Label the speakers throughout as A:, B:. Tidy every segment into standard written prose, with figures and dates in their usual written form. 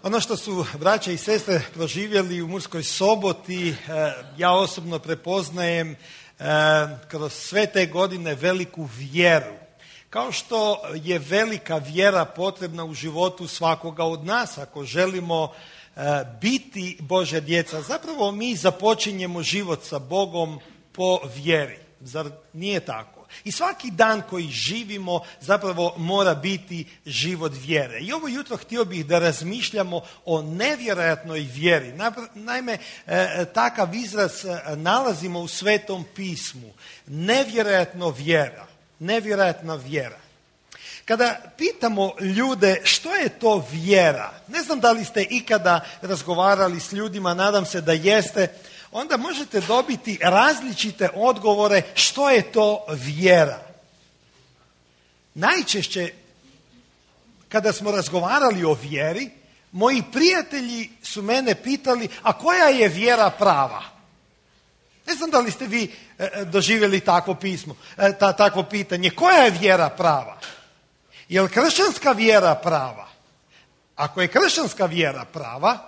A: Ono što su braća i sestre proživjeli u Murskoj Soboti, ja osobno prepoznajem kroz sve te godine veliku vjeru. Kao što je velika vjera potrebna u životu svakoga od nas, ako želimo biti Božja djeca. Zapravo mi započinjemo život sa Bogom po vjeri. Zar nije tako? I svaki dan koji živimo zapravo mora biti život vjere. I ovo jutro htio bih da razmišljamo o nevjerojatnoj vjeri. Naime, takav izraz nalazimo u Svetom pismu. Nevjerojatna vjera. Kada pitamo ljude što je to vjera, ne znam da li ste ikada razgovarali s ljudima, nadam se da jeste, onda možete dobiti različite odgovore što je to vjera. Najčešće kada smo razgovarali o vjeri, moji prijatelji su mene pitali, a koja je vjera prava? Ne znam da li ste vi doživjeli takvo pitanje. Koja je vjera prava? Je li kršćanska vjera prava? Ako je kršćanska vjera prava,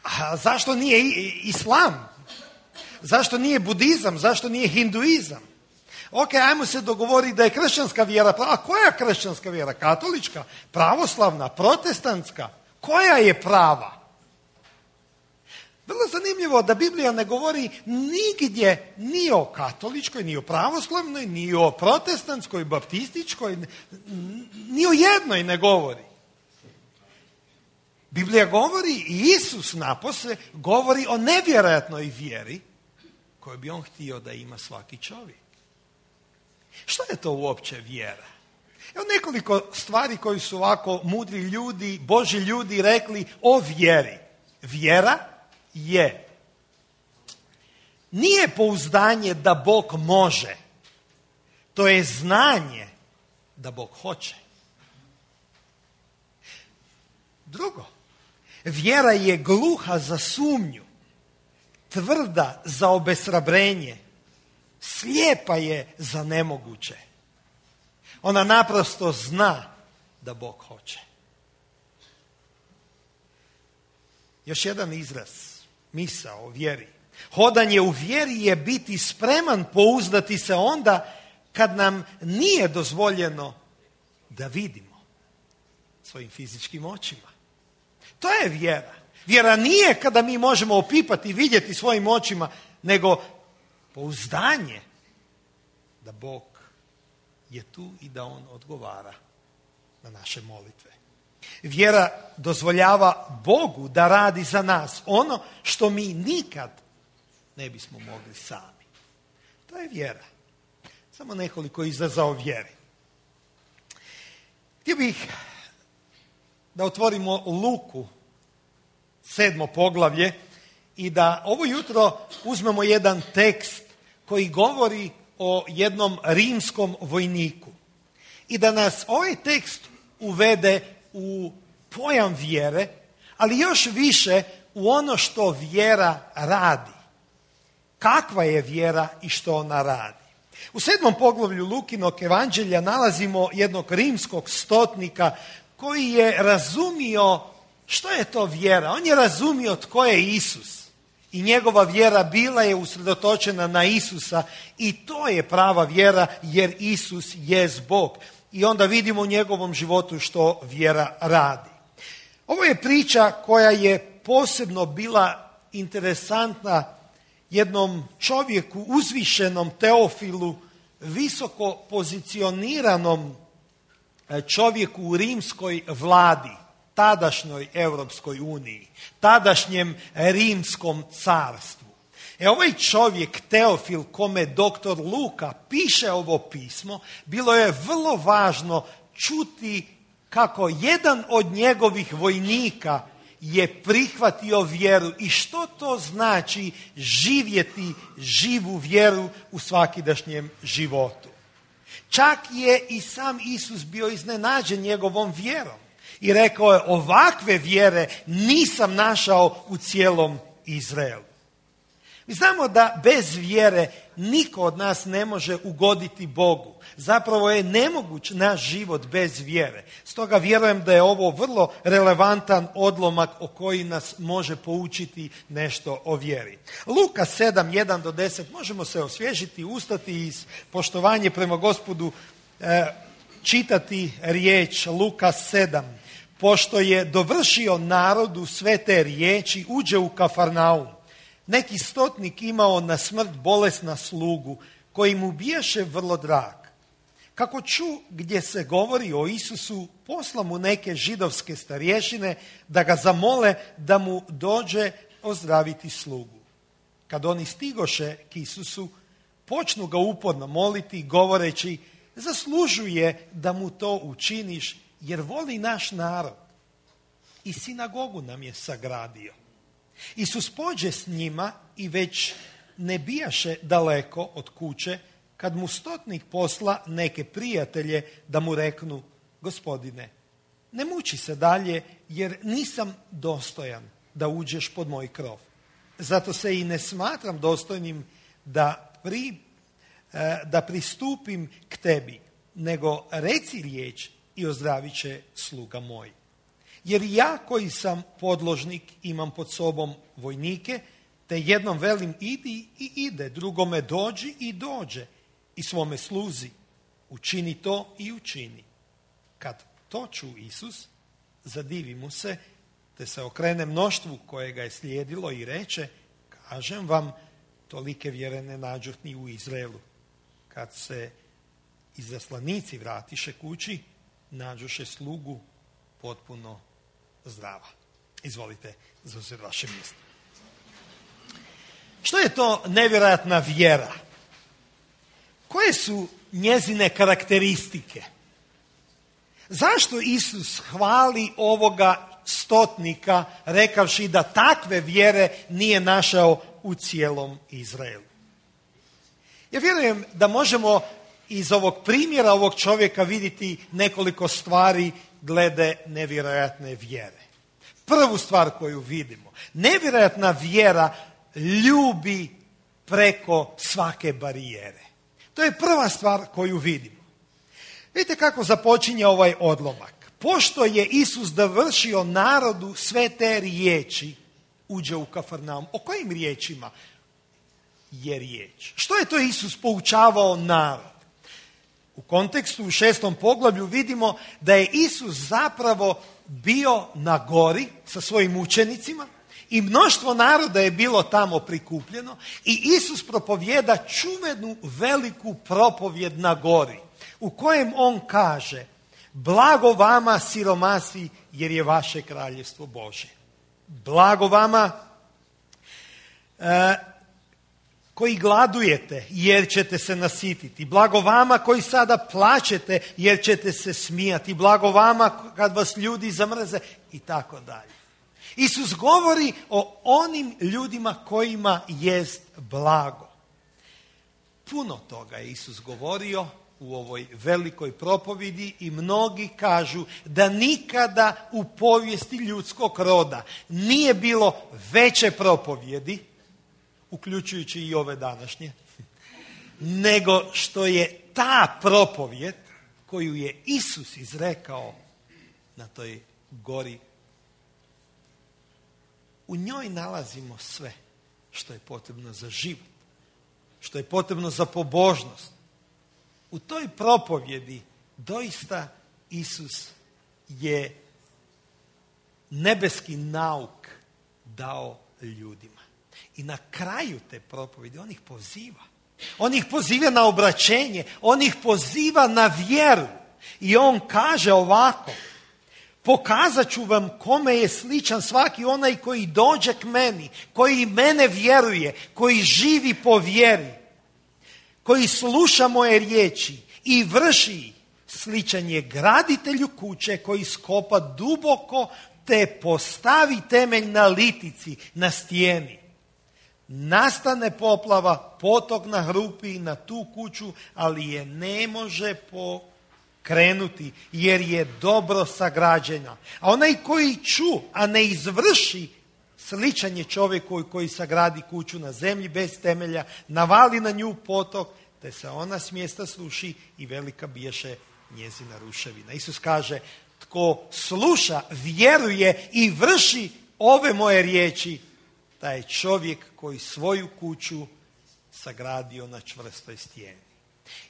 A: a zašto nije islam? Zašto nije budizam? Zašto nije hinduizam? Ok, ajmo se dogovoriti da je kršćanska vjera prava. A koja je kršćanska vjera? Katolička? Pravoslavna? Protestantska? Koja je prava? Vrlo zanimljivo da Biblija ne govori nigdje ni o katoličkoj, ni o pravoslavnoj, ni o protestantskoj, baptističkoj, ni o jednoj ne govori. Biblija govori i Isus napose govori o nevjerojatnoj vjeri koju bi on htio da ima svaki čovjek. Što je to uopće vjera? Evo nekoliko stvari koji su ovako mudri ljudi, Božji ljudi rekli o vjeri. Vjera nije pouzdanje da Bog može. To je znanje da Bog hoće. Drugo, vjera je gluha za sumnju, tvrda za obeshrabrenje, slijepa je za nemoguće. Ona naprosto zna da Bog hoće. Još jedan izraz, misao o vjeri. Hodanje u vjeri je biti spreman pouzdati se onda kad nam nije dozvoljeno da vidimo svojim fizičkim očima. To je vjera. Vjera nije kada mi možemo opipati i vidjeti svojim očima, nego pouzdanje da Bog je tu i da on odgovara na naše molitve. Vjera dozvoljava Bogu da radi za nas ono što mi nikad ne bismo mogli sami. To je vjera. Samo nekoliko izraza o vjeri. Htio bih da otvorimo Luku, 7. poglavlje, i da ovo jutro uzmemo jedan tekst koji govori o jednom rimskom vojniku. I da nas ovaj tekst uvede u pojam vjere, ali još više u ono što vjera radi. Kakva je vjera i što ona radi. U 7. poglavlju Lukinog evanđelja nalazimo jednog rimskog stotnika koji je razumio što je to vjera. On je razumio tko je Isus. I njegova vjera bila je usredotočena na Isusa i to je prava vjera jer Isus jest Bog. I onda vidimo u njegovom životu što vjera radi. Ovo je priča koja je posebno bila interesantna jednom čovjeku, uzvišenom Teofilu, visoko pozicioniranom čovjeku u rimskoj vladi, tadašnjoj Europskoj uniji, tadašnjem rimskom carstvu. Ovaj čovjek Teofil, kome doktor Luka piše ovo pismo, bilo je vrlo važno čuti kako jedan od njegovih vojnika je prihvatio vjeru i što to znači živjeti živu vjeru u svakidašnjem životu. Čak je i sam Isus bio iznenađen njegovom vjerom i rekao je, ovakve vjere nisam našao u cijelom Izraelu. Mi znamo da bez vjere niko od nas ne može ugoditi Bogu. Zapravo je nemoguć naš život bez vjere. Stoga vjerujem da je ovo vrlo relevantan odlomak o koji nas može poučiti nešto o vjeri. Luka 7, 1-10, možemo se osvježiti, ustati iz poštovanje prema Gospodu, čitati riječ Luka 7. Pošto je dovršio narodu sve te riječi, uđe u Kafarnaum. Neki stotnik imao na smrt bolesna slugu, koji mu bijaše vrlo drag. Kako ču gdje se govori o Isusu, posla mu neke židovske starješine da ga zamole da mu dođe ozdraviti slugu. Kad oni stigoše k Isusu, počnu ga uporno moliti, govoreći: zaslužuje da mu to učiniš, jer voli naš narod i sinagogu nam je sagradio. Isus pođe s njima i već ne bijaše daleko od kuće, kad mu stotnik posla neke prijatelje da mu reknu: Gospodine, ne muči se dalje, jer nisam dostojan da uđeš pod moj krov. Zato se i ne smatram dostojnim da pristupim k tebi, nego reci riječ i ozdravit će sluga moj. Jer ja koji sam podložnik imam pod sobom vojnike, te jednom velim idi i ide, drugome dođi i dođe, i svome sluzi učini to i učini. Kad to ču Isus, zadivi mu se, te se okrene mnoštvu koje ga je slijedilo i reče: kažem vam, tolike vjere ne nađoh ni u Izraelu. Kad se izaslanici vratiše kući, nađoše slugu potpuno zdrava. Izvolite zauzeti vaše mjesto. Što je to nevjerojatna vjera? Koje su njezine karakteristike? Zašto Isus hvali ovoga stotnika rekavši da takve vjere nije našao u cijelom Izraelu? Ja vjerujem da možemo iz ovog primjera ovog čovjeka vidjeti nekoliko stvari glede nevjerojatne vjere. Prvu stvar koju vidimo: nevjerojatna vjera ljubi preko svake barijere. To je prva stvar koju vidimo. Vidite kako započinje ovaj odlomak. Pošto je Isus dovršio narodu sve te riječi, uđe u Kafarnaum. O kojim riječima je riječ? Što je to Isus poučavao narod? U kontekstu u 6. poglavlju vidimo da je Isus zapravo bio na gori sa svojim učenicima i mnoštvo naroda je bilo tamo prikupljeno i Isus propovjeda čuvenu veliku propovjed na gori u kojem on kaže: blago vama siromasi, jer je vaše kraljevstvo Božje. Blago vama koji gladujete, jer ćete se nasititi. Blago vama koji sada plačete, jer ćete se smijati. Blago vama kad vas ljudi zamrze i tako dalje. Isus govori o onim ljudima kojima jest blago. Puno toga je Isus govorio u ovoj velikoj propovjedi i mnogi kažu da nikada u povijesti ljudskog roda nije bilo veće propovjedi, uključujući i ove današnje, nego što je ta propovjed koju je Isus izrekao na toj gori. U njoj nalazimo sve što je potrebno za život, što je potrebno za pobožnost. U toj propovjedi doista Isus je nebeski nauk dao ljudima. I na kraju te propovjedi on ih poziva. On ih poziva na obraćenje, on ih poziva na vjeru. I on kaže ovako: pokazat ću vam kome je sličan svaki onaj koji dođe k meni, koji mene vjeruje, koji živi po vjeri, koji sluša moje riječi i vrši. Sličan je graditelju kuće koji skopa duboko te postavi temelj na litici, na stijeni. Nastane poplava, potok nahrupi na tu kuću, ali je ne može pokrenuti jer je dobro sagrađena. A onaj koji ču, a ne izvrši, Sličan je čovjeku koji sagradi kuću na zemlji bez temelja, navali na nju potok, te se ona s mjesta sruši i velika biješe njezina ruševina. Isus kaže, tko sluša, vjeruje i vrši ove moje riječi, taj je čovjek koji svoju kuću sagradio na čvrstoj stijeni.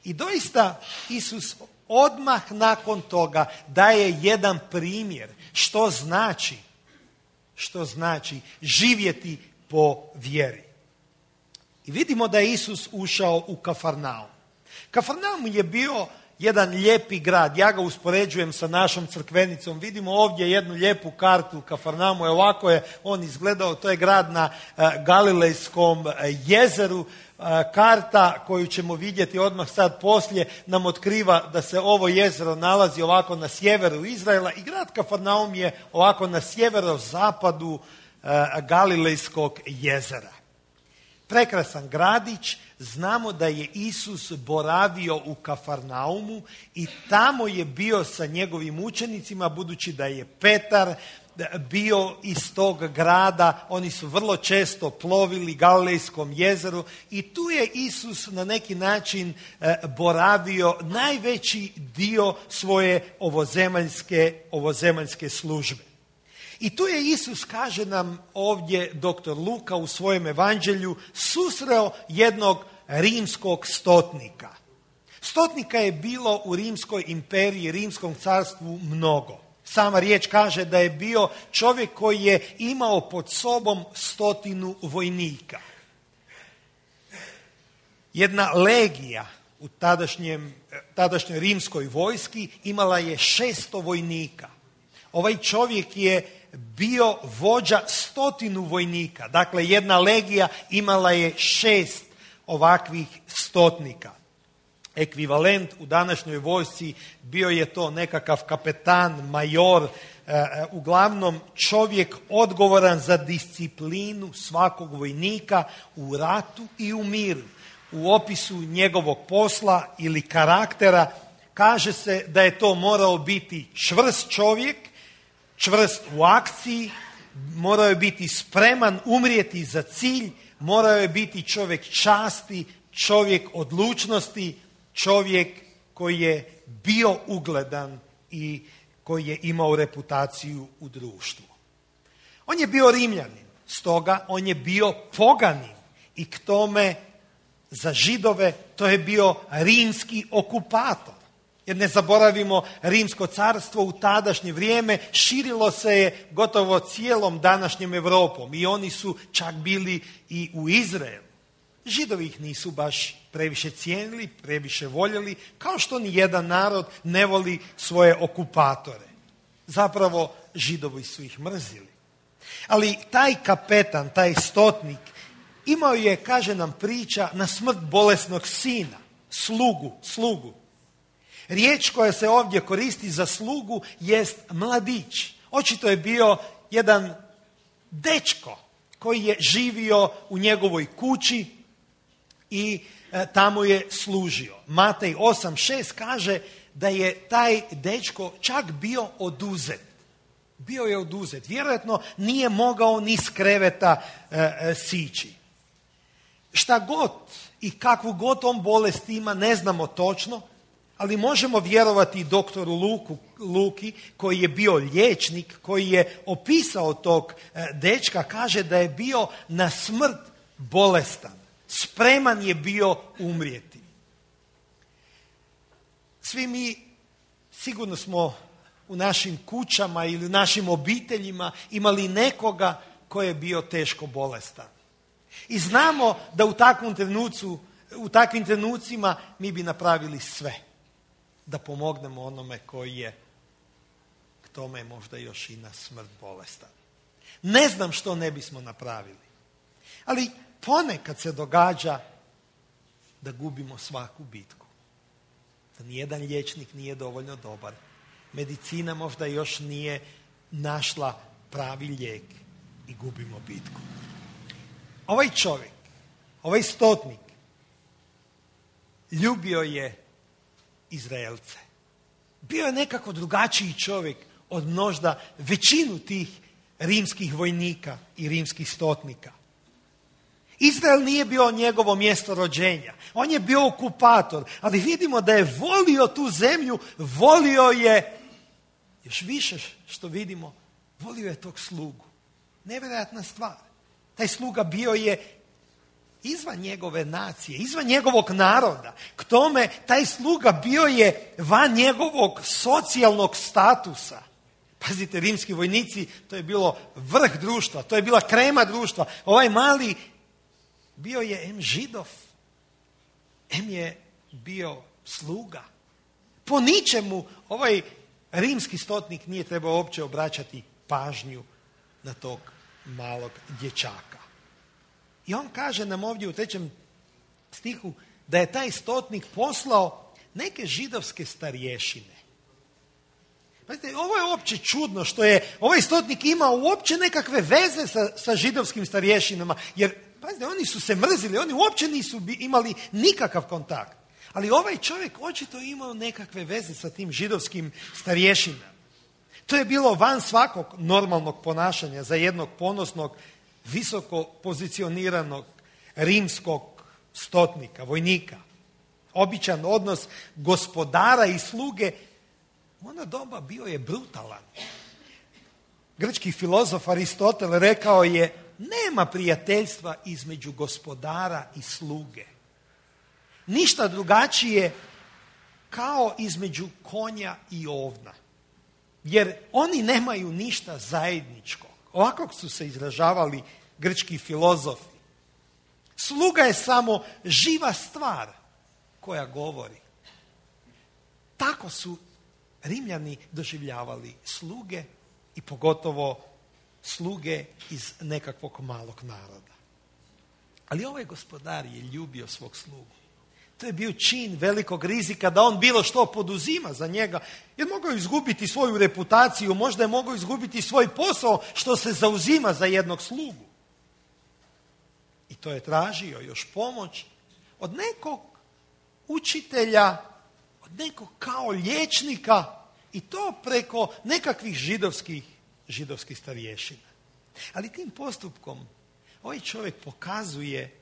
A: I doista Isus odmah nakon toga daje jedan primjer što znači živjeti po vjeri. I vidimo da je Isus ušao u Kafarnaum. Kafarnaum je bio jedan lijepi grad. Ja ga uspoređujem sa našom crkvenicom. Vidimo ovdje jednu lijepu kartu Kafarnaumu. Ovako je on izgledao. To je grad na Galilejskom jezeru. Karta koju ćemo vidjeti odmah sad poslije nam otkriva da se ovo jezero nalazi ovako na sjeveru Izraela i grad Kafarnaum je ovako na sjeverozapadu Galilejskog jezera. Prekrasan gradić, znamo da je Isus boravio u Kafarnaumu i tamo je bio sa njegovim učenicima, budući da je Petar bio iz tog grada, oni su vrlo često plovili Galilejskom jezeru i tu je Isus na neki način boravio najveći dio svoje ovozemaljske službe. I tu je Isus, kaže nam ovdje dr. Luka u svojem evanđelju, susreo jednog rimskog stotnika. Stotnika je bilo u Rimskoj imperiji, Rimskom carstvu mnogo. Sama riječ kaže da je bio čovjek koji je imao pod sobom 100 vojnika. Jedna legija u tadašnjoj rimskoj vojski imala je 600 vojnika. Ovaj čovjek je bio vođa 100 vojnika. Dakle, jedna legija imala je 6 ovakvih stotnika. Ekvivalent u današnjoj vojsci bio je to nekakav kapetan, major, uglavnom čovjek odgovoran za disciplinu svakog vojnika u ratu i u miru. U opisu njegovog posla ili karaktera kaže se da je to morao biti čvrst čovjek, čvrst u akciji, morao je biti spreman umrijeti za cilj, morao je biti čovjek časti, čovjek odlučnosti, čovjek koji je bio ugledan i koji je imao reputaciju u društvu. On je bio Rimljanin, stoga on je bio poganin i k tome za Židove to je bio rimski okupator. Jer ne zaboravimo, Rimsko carstvo u tadašnje vrijeme širilo se je gotovo cijelom današnjem Europom i oni su čak bili i u Izraelu. Židovi ih nisu baš previše cijenili, previše voljeli, kao što ni jedan narod ne voli svoje okupatore. Zapravo, Židovi su ih mrzili. Ali taj kapetan, taj stotnik, imao je, kaže nam priča, na smrt bolesnog sina, slugu. Riječ koja se ovdje koristi za slugu jest mladić. Očito je bio jedan dečko koji je živio u njegovoj kući i tamo je služio. Matej 8:6 kaže da je taj dečko čak bio oduzet. Bio je oduzet. Vjerojatno nije mogao ni s kreveta sići. Šta god i kakvu god on bolest ima, ne znamo točno, ali možemo vjerovati doktoru Luki koji je bio liječnik, koji je opisao tog dečka, kaže da je bio na smrt bolestan. Spreman je bio umrijeti. Svi mi sigurno smo u našim kućama ili u našim obiteljima imali nekoga koji je bio teško bolestan. I znamo da u takvim trenucima mi bi napravili sve da pomognemo onome koji je k tome možda još i na smrt bolestan. Ne znam što ne bismo napravili. Ali ponekad se događa da gubimo svaku bitku. Da nijedan liječnik nije dovoljno dobar. Medicina možda još nije našla pravi lijek i gubimo bitku. Ovaj čovjek, ovaj stotnik, ljubio je Izraelce. Bio je nekako drugačiji čovjek od možda većinu tih rimskih vojnika i rimskih stotnika. Izrael nije bio njegovo mjesto rođenja. On je bio okupator, ali vidimo da je volio tu zemlju, volio je, još više što vidimo, volio je tog slugu. Nevjerojatna stvar. Taj sluga bio je izvan njegove nacije, izvan njegovog naroda. K tome, taj sluga bio je van njegovog socijalnog statusa. Pazite, rimski vojnici, to je bilo vrh društva, to je bila krema društva. Ovaj mali bio je em Židov, em je bio sluga. Po ničemu ovaj rimski stotnik nije trebao uopće obraćati pažnju na tog malog dječaka. I on kaže nam ovdje u 3. stihu da je taj stotnik poslao neke židovske starješine. Pazite, ovo je uopće čudno što je ovaj stotnik imao uopće nekakve veze sa židovskim starješinama, jer pazite, oni su se mrzili, oni uopće nisu imali nikakav kontakt. Ali ovaj čovjek očito imao nekakve veze sa tim židovskim starješinama. To je bilo van svakog normalnog ponašanja za jednog ponosnog, visoko pozicioniranog rimskog stotnika, vojnika. Običan odnos gospodara i sluge u ono doba bio je brutalan. Grčki filozof Aristotel rekao je: nema prijateljstva između gospodara i sluge. Ništa drugačije kao između konja i ovna. Jer oni nemaju ništa zajedničko. Ovako su se izražavali grčki filozofi. Sluga je samo živa stvar koja govori. Tako su Rimljani doživljavali sluge i pogotovo sluge iz nekakvog malog naroda. Ali ovaj gospodar je ljubio svog slugu. To je bio čin velikog rizika da on bilo što poduzima za njega, jer mogao izgubiti svoju reputaciju, možda je mogao izgubiti svoj posao što se zauzima za jednog slugu. I to je tražio još pomoć od nekog učitelja, od nekog kao liječnika, i to preko nekakvih židovskih starješina. Ali tim postupkom ovaj čovjek pokazuje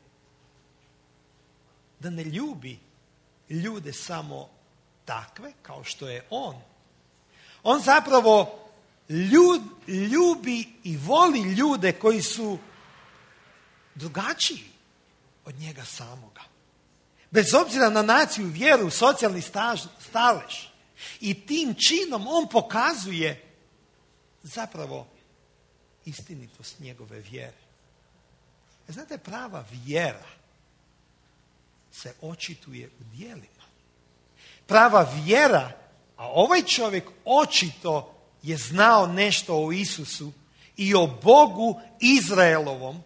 A: da ne ljubi ljude samo takve kao što je on. On zapravo ljubi i voli ljude koji su drugačiji od njega samoga. Bez obzira na naciju, vjeru, socijalni stalež. I tim činom on pokazuje zapravo istinitost njegove vjere. Znate, prava vjera se očituje u djelima. Prava vjera, a ovaj čovjek očito je znao nešto o Isusu i o Bogu Izraelovom,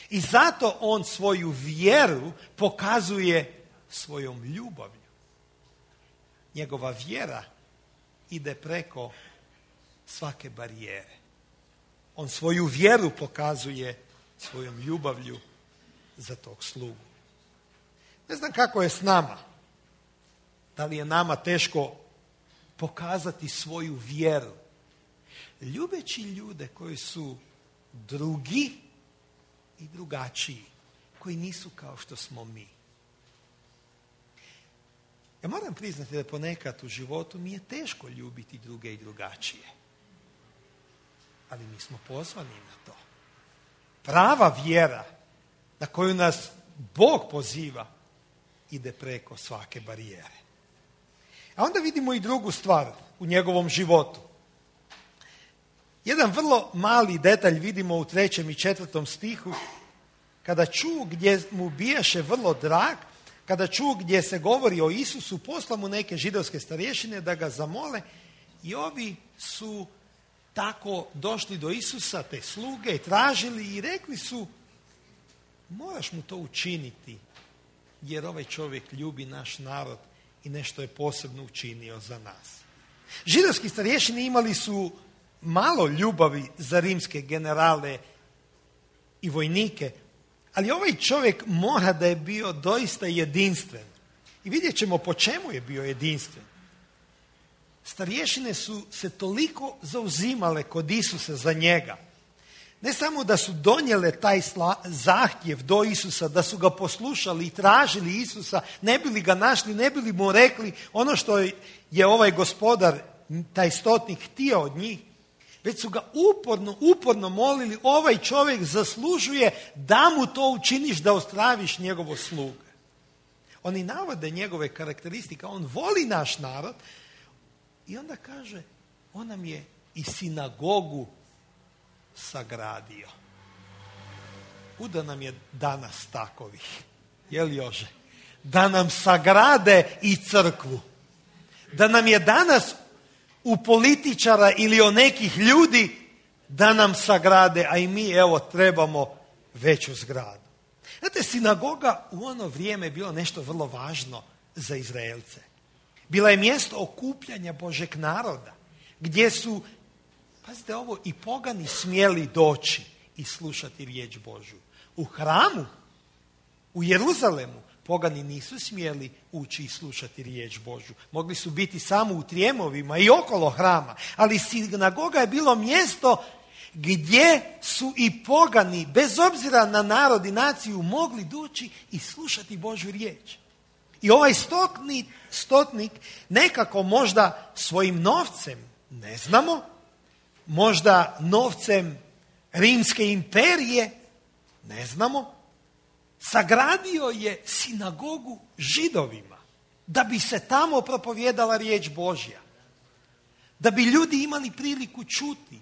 A: i zato on svoju vjeru pokazuje svojom ljubavlju. Njegova vjera ide preko svake barijere. On svoju vjeru pokazuje svojom ljubavlju za tog slugu. Ne znam kako je s nama. Da li je nama teško pokazati svoju vjeru, ljubeći ljude koji su drugi i drugačiji, koji nisu kao što smo mi. Ja moram priznati da ponekad u životu mi je teško ljubiti druge i drugačije. Ali mi smo pozvani na to. Prava vjera na koju nas Bog poziva ide preko svake barijere. A onda vidimo i drugu stvar u njegovom životu. Jedan vrlo mali detalj vidimo u 3. i 4. stihu, kada čuo gdje mu bijaše vrlo drag, kada čuo gdje se govori o Isusu, posla mu neke židovske starješine da ga zamole, i ovi su tako došli do Isusa, te sluge, i tražili i rekli su: moraš mu to učiniti, jer ovaj čovjek ljubi naš narod i nešto je posebno učinio za nas. Židovski starješini imali su malo ljubavi za rimske generale i vojnike, ali ovaj čovjek mora da je bio doista jedinstven. I vidjet ćemo po čemu je bio jedinstven. starješine su se toliko zauzimale kod Isusa za njega. Ne samo da su donijele taj zahtjev do Isusa, da su ga poslušali i tražili Isusa, ne bi li ga našli, ne bi li mu rekli ono što je ovaj gospodar, taj stotnik, htio od njih, već su ga uporno molili, ovaj čovjek zaslužuje da mu to učiniš, da ostraviš njegovo sluga. Oni navode njegove karakteristike, on voli naš narod i onda kaže, on nam je i sinagogu sagradio. Kuda nam je danas takovih? Je li Jože? Da nam sagrade i crkvu. Da nam je danas u političara ili o nekih ljudi da nam sagrade, a i mi evo trebamo veću zgradu. Znate, sinagoga u ono vrijeme je bilo nešto vrlo važno za Izraelce. Bila je mjesto okupljanja Božeg naroda, gdje su, pazite ovo, i pogani smjeli doći i slušati riječ Božju. U hramu, u Jeruzalemu, pogani nisu smjeli ući i slušati riječ Božju. Mogli su biti samo u trijemovima i okolo hrama, ali sinagoga je bilo mjesto gdje su i pogani, bez obzira na narod i naciju, mogli doći i slušati Božju riječ. I ovaj stotnik nekako možda svojim novcem, ne znamo, možda novcem Rimske imperije, ne znamo, sagradio je sinagogu Židovima, da bi se tamo propovijedala riječ Božja, da bi ljudi imali priliku čuti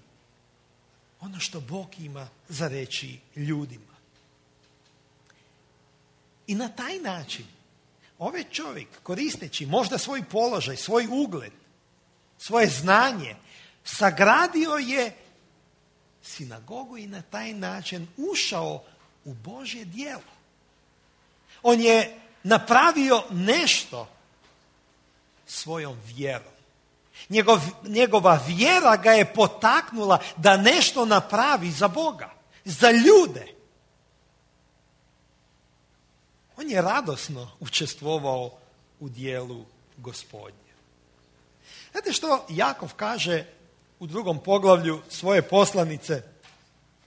A: ono što Bog ima za reći ljudima. I na taj način ovaj čovjek, koristeći možda svoj položaj, svoj ugled, svoje znanje, sagradio je sinagogu i na taj način ušao u Božje djelo. On je napravio nešto svojom vjerom. Njegova vjera ga je potaknula da nešto napravi za Boga, za ljude. On je radosno učestvovao u dijelu Gospodnje. Znate što Jakov kaže u 2. poglavlju svoje poslanice?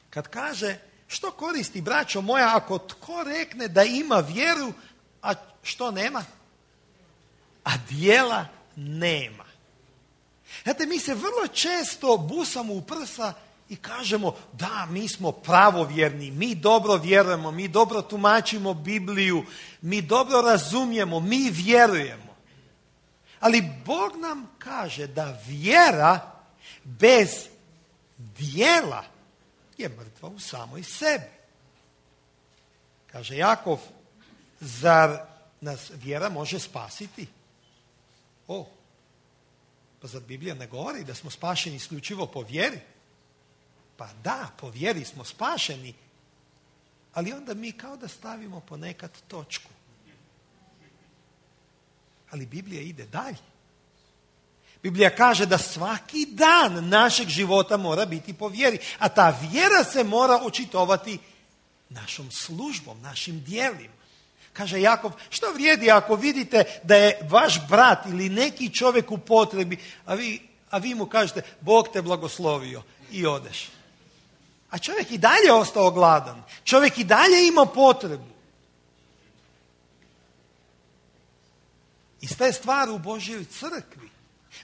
A: Kad kaže, što koristi, braćo moja, ako tko rekne da ima vjeru, a što nema? A dijela nema. Znate, mi se vrlo često busamo u prsa i kažemo, da, mi smo pravovjerni, mi dobro vjerujemo, mi dobro tumačimo Bibliju, mi dobro razumijemo, mi vjerujemo. Ali Bog nam kaže da vjera bez dijela je mrtva u samoj sebi. Kaže Jakov, zar nas vjera može spasiti? Pa zar Biblija ne govori da smo spašeni isključivo po vjeri? Pa da, po vjeri smo spašeni, ali onda mi kao da stavimo ponekad točku. Ali Biblija ide dalje. Biblija kaže da svaki dan našeg života mora biti po vjeri, a ta vjera se mora očitovati našom službom, našim djelima. Kaže Jakov, što vrijedi ako vidite da je vaš brat ili neki čovjek u potrebi, a vi mu kažete, Bog te blagoslovio i odeš. A čovjek i dalje ostao gladan. Čovjek i dalje ima potrebu. Ista je stvar u Božjoj crkvi.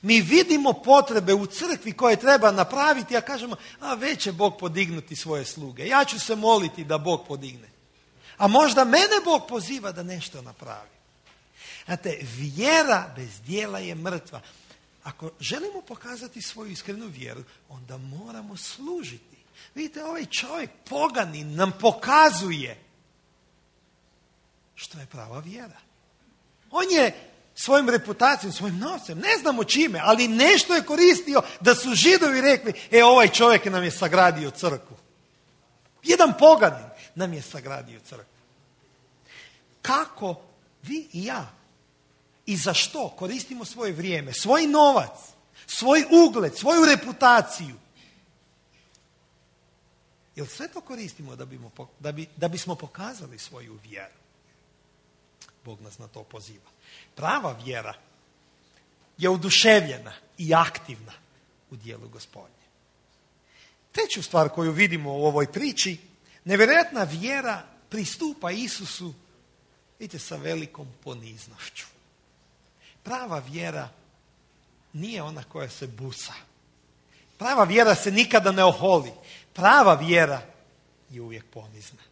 A: Mi vidimo potrebe u crkvi koje treba napraviti, a kažemo, već će Bog podignuti svoje sluge. Ja ću se moliti da Bog podigne. A možda mene Bog poziva da nešto napravi. Znate, vjera bez djela je mrtva. Ako želimo pokazati svoju iskrenu vjeru, onda moramo služiti. Vidite, ovaj čovjek poganin nam pokazuje što je prava vjera. On je svojom reputacijom, svojim novcem, ne znamo čime, ali nešto je koristio da su Židovi rekli, ovaj čovjek nam je sagradio crkvu. Jedan poganin nam je sagradio crkvu. Kako vi i ja i za što koristimo svoje vrijeme, svoj novac, svoj ugled, svoju reputaciju? Jer sve to koristimo da bismo pokazali svoju vjeru. Bog nas na to poziva. Prava vjera je oduševljena i aktivna u dijelu Gospodnje. Treću stvar koju vidimo u ovoj priči, nevjerojatna vjera pristupa Isusu, vidite, sa velikom poniznošću. Prava vjera nije ona koja se busa. Prava vjera se nikada ne oholi. Prava vjera je uvijek ponizna.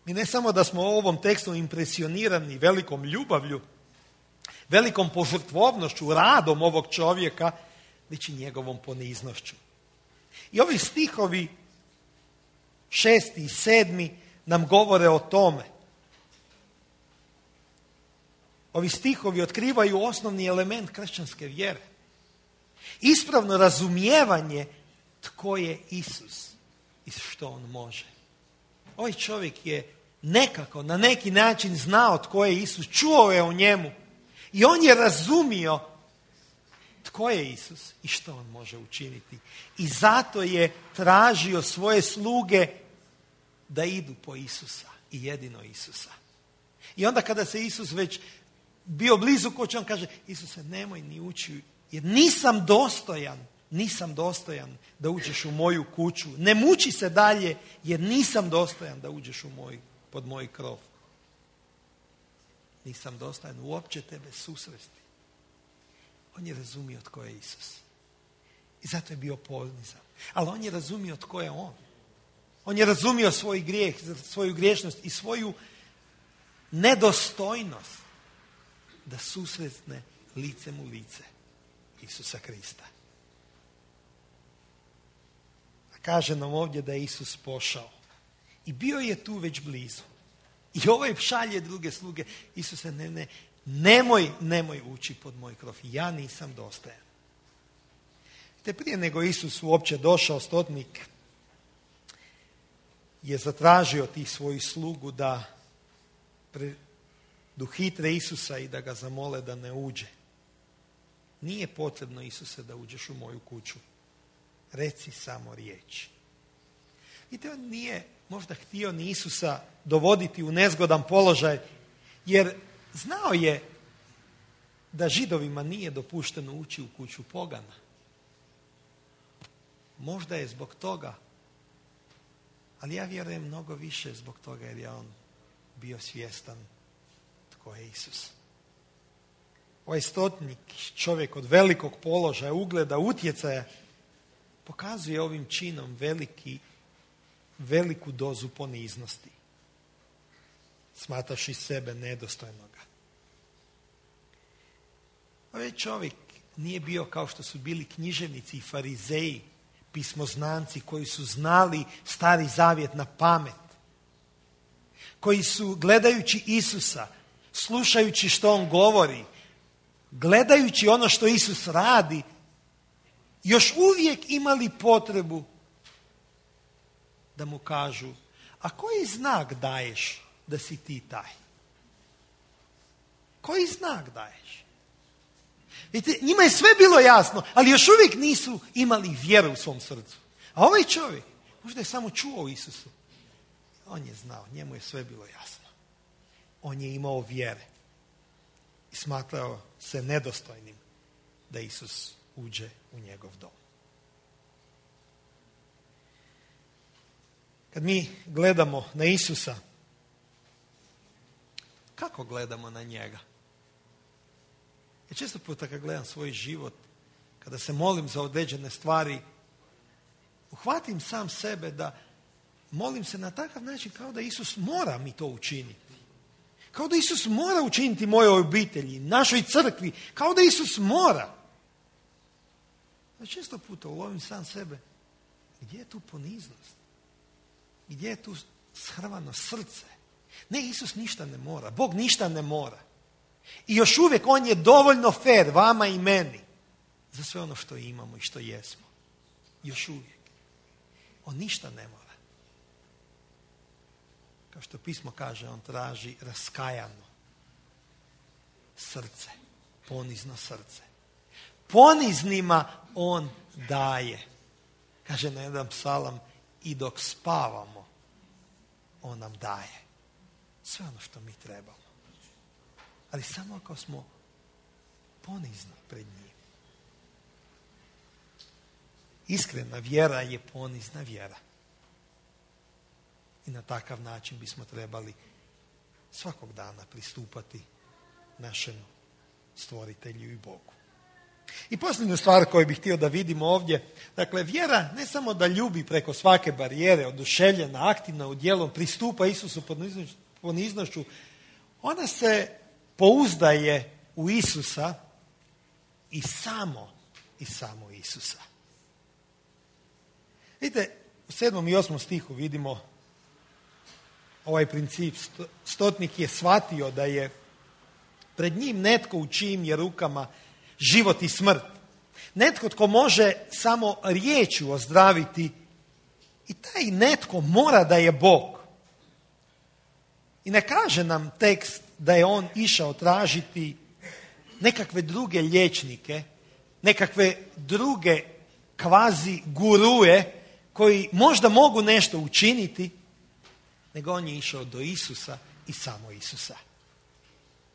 A: Mi ne samo da smo u ovom tekstu impresionirani velikom ljubavlju, velikom požrtvovnošću, radom ovog čovjeka, već i njegovom poniznošću. I ovi stihovi 6. i 7. nam govore o tome. Ovi stihovi otkrivaju osnovni element kršćanske vjere. Ispravno razumijevanje tko je Isus i što on može. Ovaj čovjek je nekako, na neki način znao tko je Isus, čuo je o njemu i on je razumio tko je Isus i što on može učiniti. I zato je tražio svoje sluge da idu po Isusa i jedino Isusa. I onda kada se Isus već bio blizu kuće, on kaže: Isuse, nemoj ni ući, jer nisam dostojan da uđeš u moju kuću. Ne muči se dalje, jer nisam dostojan da uđeš pod moj krov. Nisam dostojan uopće tebe susresti. On je razumio tko je Isus. I zato je bio ponizan. Ali on je razumio tko je on. On je razumio svoj grijeh, svoju griješnost i svoju nedostojnost da susretne licem u lice Isusa Krista. A kaže nam ovdje da je Isus pošao. I bio je tu već blizu. I ovaj šalje druge sluge: Isuse, nemoj ući pod moj krov. Ja nisam dostojan. Te prije nego Isus uopće došao, stotnik je zatražio tih svojih slugu da dohitre Isusa i da ga zamole da ne uđe. Nije potrebno, Isuse, da uđeš u moju kuću. Reci samo riječ. Vidite, on nije možda htio ni Isusa dovoditi u nezgodan položaj, jer znao je da Židovima nije dopušteno ući u kuću pogana. Možda je zbog toga, ali ja vjerujem mnogo više zbog toga jer je on bio svjestan tko je Isus. Ovaj stotnik, čovjek od velikog položaja, ugleda, utjecaja, pokazuje ovim činom veliku dozu poniznosti, smatraši sebe nedostojnoga. Ovaj čovjek nije bio kao što su bili književnici i farizeji, pismoznanci koji su znali Stari Zavjet na pamet, koji su gledajući Isusa, slušajući što on govori, gledajući ono što Isus radi, još uvijek imali potrebu da mu kažu: a koji znak daješ da si ti taj? Koji znak daješ? Vidite, njima je sve bilo jasno, ali još uvijek nisu imali vjeru u svom srcu. A ovaj čovjek možda je samo čuo o Isusu. On je znao, njemu je sve bilo jasno. On je imao vjere i smatrao se nedostojnim da Isus uđe u njegov dom. Kad mi gledamo na Isusa, kako gledamo na njega? Ja često puta kad gledam svoj život, kada se molim za određene stvari, uhvatim sam sebe da molim se na takav način kao da Isus mora mi to učiniti. Kao da Isus mora učiniti mojoj obitelji, našoj crkvi, kao da Isus mora. Ja često puta ulovim sam sebe, gdje je tu poniznost? Gdje je tu shrvano srce? Ne, Isus ništa ne mora, Bog ništa ne mora. I još uvijek on je dovoljno fer vama i meni za sve ono što imamo i što jesmo. Još uvijek. On ništa ne mora. Kao što pismo kaže, on traži raskajano srce, ponizno srce. Poniznima on daje. Kaže na jedan psalam: i dok spavamo, on nam daje sve ono što mi trebamo. Ali samo ako smo ponizni pred njim. Iskrena vjera je ponizna vjera. I na takav način bismo trebali svakog dana pristupati našem stvoritelju i Bogu. I posljednju stvar koju bih htio da vidimo ovdje, dakle, vjera ne samo da ljubi preko svake barijere, oduševljena, aktivna u djelom, pristupa Isusu poniznošću, ona se pouzdaje u Isusa i samo Isusa. Vidite, u 7. i 8. stihu vidimo ovaj princip. Stotnik je shvatio da je pred njim netko u čijim je rukama život i smrt. Netko tko može samo riječju ozdraviti i taj netko mora da je Bog. I ne kaže nam tekst da je on išao tražiti nekakve druge liječnike, nekakve druge kvazi gurue koji možda mogu nešto učiniti, nego on je išao do Isusa i samo Isusa.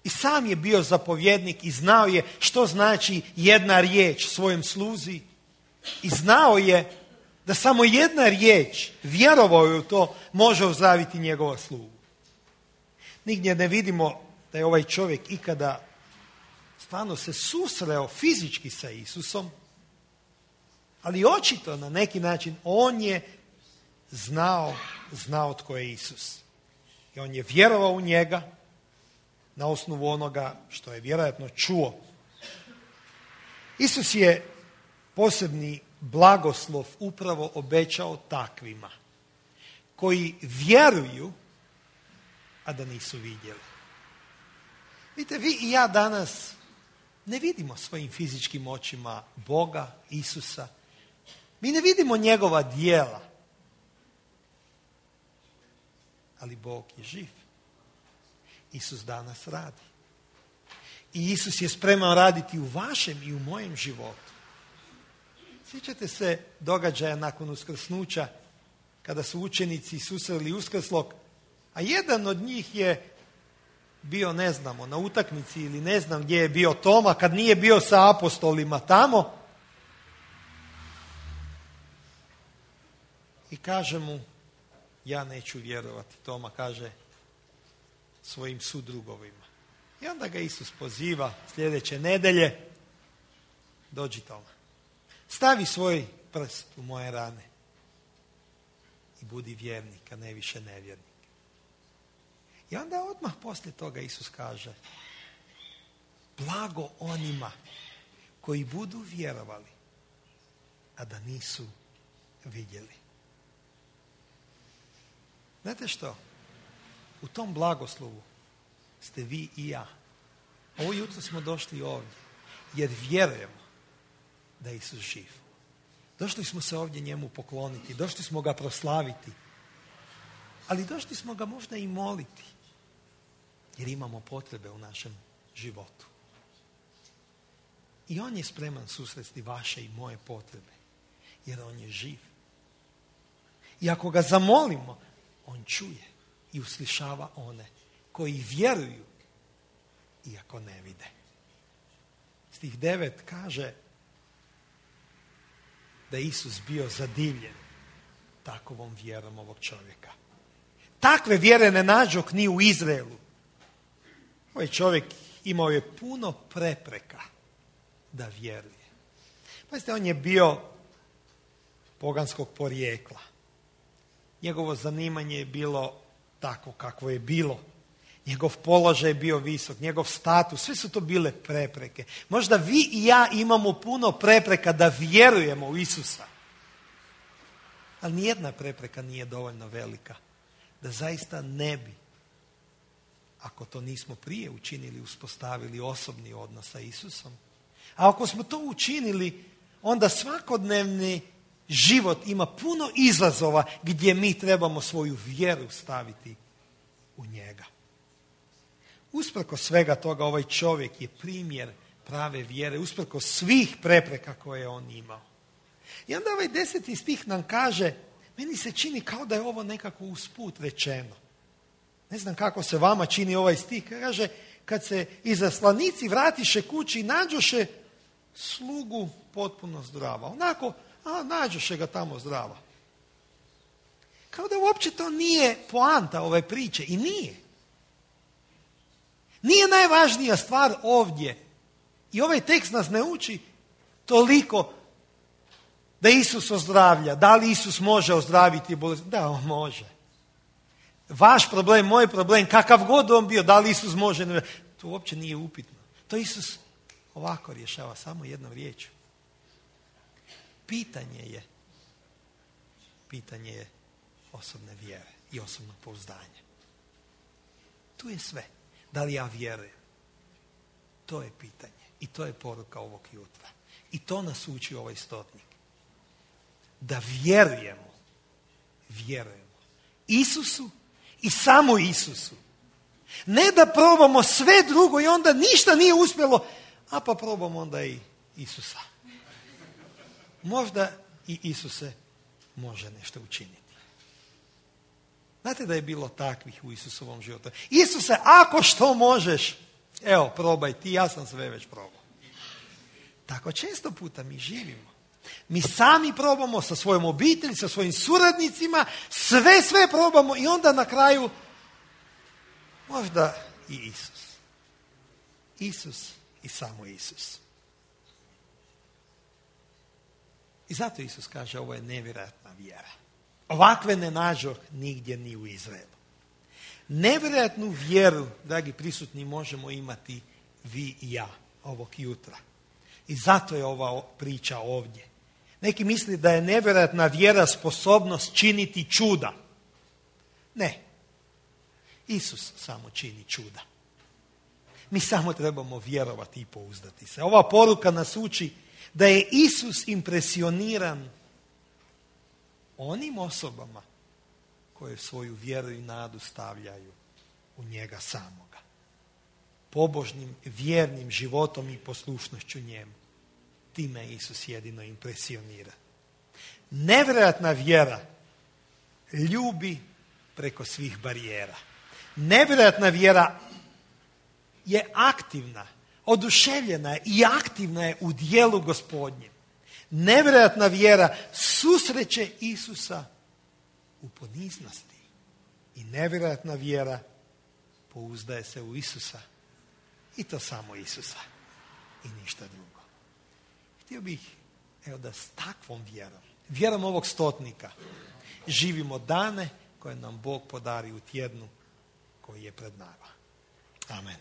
A: I sam je bio zapovjednik i znao je što znači jedna riječ svojem sluzi. I znao je da samo jedna riječ, vjerovao je u to, može ozdraviti njegova slugu. Nigdje ne vidimo da je ovaj čovjek ikada stvarno se susreo fizički sa Isusom, ali očito na neki način on je znao tko je Isus. I on je vjerovao u njega na osnovu onoga što je vjerojatno čuo. Isus je posebni blagoslov upravo obećao takvima koji vjeruju, a da nisu vidjeli. Vidite, vi i ja danas ne vidimo svojim fizičkim očima Boga, Isusa. Mi ne vidimo njegova djela. Ali Bog je živ. Isus danas radi. I Isus je spreman raditi u vašem i u mojem životu. Sjećate se događaja nakon uskrsnuća, kada su učenici susreli uskrslog, a jedan od njih je bio, ne znamo, na utakmici ili ne znam gdje je bio Toma, kad nije bio sa apostolima tamo. I kaže mu, ja neću vjerovati. Toma kaže svojim sudrugovima. I onda ga Isus poziva sljedeće nedjelje, dođi Toma, stavi svoj prst u moje rane i budi vjernik, a ne više nevjernik. I onda odmah poslije toga Isus kaže, blago onima koji budu vjerovali, a da nisu vidjeli. Znate što? U tom blagoslovu ste vi i ja. Ovo jutro smo došli ovdje jer vjerujemo da je Isus živ. Došli smo se ovdje njemu pokloniti, došli smo ga proslaviti, ali došli smo ga možda i moliti jer imamo potrebe u našem životu. I on je spreman susresti vaše i moje potrebe jer on je živ. I ako ga zamolimo, on čuje i uslišava one koji vjeruju iako ne vide. Stih 9 kaže da je Isus bio zadivljen takovom vjerom ovog čovjeka. Takve vjere ne nađoh ni u Izraelu. Ovaj čovjek imao je puno prepreka da vjeruje. Pazite, on je bio poganskog porijekla. Njegovo zanimanje je bilo tako kako je bilo. Njegov položaj je bio visok, njegov status, sve su to bile prepreke. Možda vi i ja imamo puno prepreka da vjerujemo u Isusa. Ali nijedna prepreka nije dovoljno velika da zaista ne bi, ako to nismo prije učinili, uspostavili osobni odnos sa Isusom. A ako smo to učinili, onda svakodnevni život ima puno izazova gdje mi trebamo svoju vjeru staviti u njega. Usprkos svega toga, ovaj čovjek je primjer prave vjere, usprkos svih prepreka koje je on imao. I onda ovaj 10. stih nam kaže, meni se čini kao da je ovo nekako usput rečeno. Ne znam kako se vama čini ovaj stih, kaže, kad se izaslanici vratiše kući i nađoše slugu potpuno zdrava. Onako, nađoše ga tamo zdrava. Kao da uopće to nije poanta ove priče. I nije. Nije najvažnija stvar ovdje. I ovaj tekst nas ne uči toliko da Isus ozdravlja. Da li Isus može ozdraviti bolest? Da, on može. Vaš problem, moj problem, kakav god on bio, da li Isus može? To uopće nije upitno. To Isus ovako rješava samo jednom riječju. Pitanje je osobne vjere i osobnog pouzdanja. Tu je sve. Da li ja vjerujem? To je pitanje. I to je poruka ovog jutra. I to nas uči ovaj stotnik. Da vjerujemo Isusu i samo Isusu. Ne da probamo sve drugo i onda ništa nije uspjelo, a pa probamo onda i Isusa. Možda i Isuse može nešto učiniti. Znate da je bilo takvih u Isusovom životu. Isuse, ako što možeš, evo, probaj ti, ja sam sve već probao. Tako često puta mi živimo. Mi sami probamo sa svojom obitelji, sa svojim suradnicima, sve probamo i onda na kraju možda i Isus. Isus i samo Isus. I zato Isus kaže, ovo je nevjerojatna vjera. Ovakve ne nađoh nigdje ni u Izraelu. Nevjerojatnu vjeru, dragi prisutni, možemo imati vi i ja ovog jutra. I zato je ova priča ovdje. Neki misli da je nevjerojatna vjera sposobnost činiti čuda. Ne. Isus samo čini čuda. Mi samo trebamo vjerovati i pouzdati se. Ova poruka nas uči da je Isus impresioniran onim osobama koje svoju vjeru i nadu stavljaju u njega samoga. Pobožnim, vjernim životom i poslušnošću njemu. Time Isus jedino impresionira. Nevjerojatna vjera ljubi preko svih barijera. Nevjerojatna vjera je aktivna, oduševljena je i aktivna je u dijelu Gospodnjem. Nevjerojatna vjera susreće Isusa u poniznosti. I nevjerojatna vjera pouzdaje se u Isusa. I to samo Isusa. I ništa drugo. Htio bih, da s takvom vjerom ovog stotnika, živimo dane koje nam Bog podari u tjednu koji je pred nama. Amen.